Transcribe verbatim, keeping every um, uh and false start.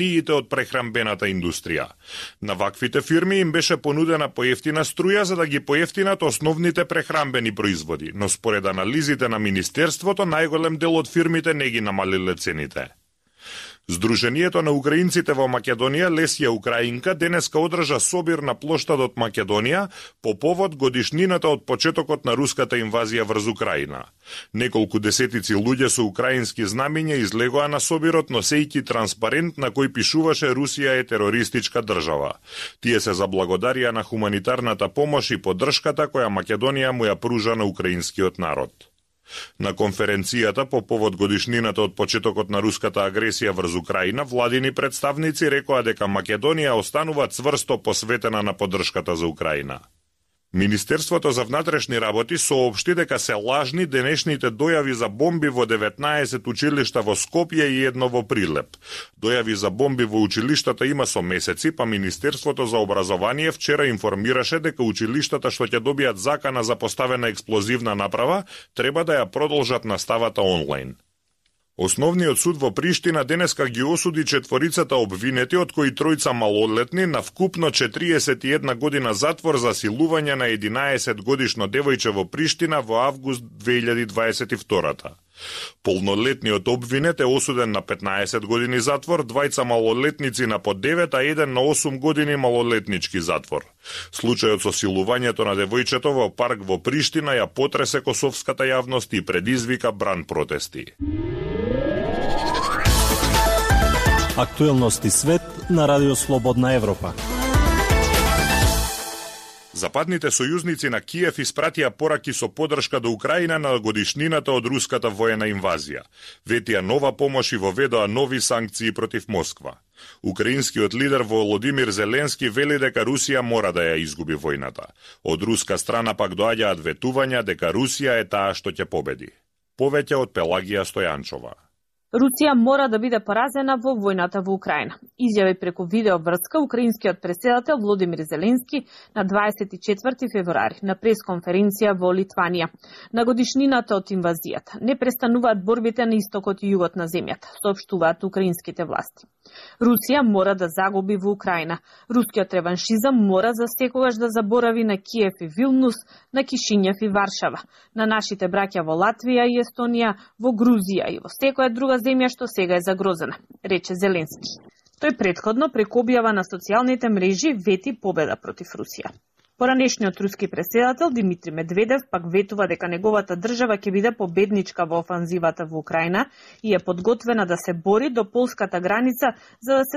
пиите од прехрамбената индустрија. На ваквите фирми им беше понудена поевтина струја за да ги поевтинат основните прехрамбени производи, но според анализите на Министерството, најголем дел од фирмите не ги намалиле цените. Сдруженијето на украинците во Македонија Лесија Украинка денеска одржа собир на плоштадот Македонија по повод годишнината од почетокот на руската инвазија врз Украина. Неколку десетици луѓе со украински знамиња излегоа на собирот носејќи транспарент на кој пишуваше Русија е терористичка држава. Тие се заблагодарија на хуманитарната помош и поддршката која Македонија му ја пружа на украинскиот народ. На конференцијата по повод годишнината од почетокот на руската агресија врз Украина, владини представници рекоа дека Македонија останува цврсто посветена на поддршката за Украина. Министерството за внатрешни работи соопшти дека се лажни денешните дојави за бомби во деветнаесет училишта во Скопје и едно во Прилеп. Дојави за бомби во училиштата има со месеци, па Министерството за образование вчера информираше дека училиштата што ќе добијат закана за поставена експлозивна направа треба да ја продолжат наставата онлайн. Основниот суд во Приштина денеска ги осуди четворицата обвинети, од кои тројца малолетни, на вкупно четириесет и една година затвор за силување на единаесет годишно девојче во Приштина во август две илјади дваесет и втора. Полнолетниот обвинет е осуден на петнаесет години затвор, двајца малолетници на по девет, а еден на осум години малолетнички затвор. Случајот со силувањето на девојчето во парк во Приштина ја потресе косовската јавност и предизвика бран протести. Актуелности свет на Радио Слободна Европа. Западните сојузници на Киев испратија пораки со поддршка до Украина на годишнината од руската воена инвазија. Ветија нова помош и воведоа нови санкции против Москва. Украинскиот лидер Володимир Зеленски вели дека Русија мора да ја изгуби војната. Од руска страна пак доаѓаат ветувања дека Русија е таа што ќе победи. Повеќе од Пелагија Стојанчова. Русија мора да биде поразена во војната во Украина. Изјави преку видеоврска украинскиот претседател Володимир Зеленски на дваесет и четврти февруари на пресконференција во Литванија. На годишнината од инвазијата не престануваат борбите на истокот и југот на земјата, соопштуваат украинските власти. Русија мора да загуби во Украина. Рускиот реваншизам мора за секогаш да заборави на Киев и Вилнус, на Кишињев и Варшава, на нашите браќа во Латвија и Естонија, во Грузија и во секоја друга земја што сега е загрозена, рече Зеленски. Тој претходно преку објава на социјалните мрежи вети победа против Русија. Поранешниот руски претседател Димитри Медведев пак ветува дека неговата држава ќе биде победничка во офанзивата во Украина и е подготвена да се бори до полската граница за да се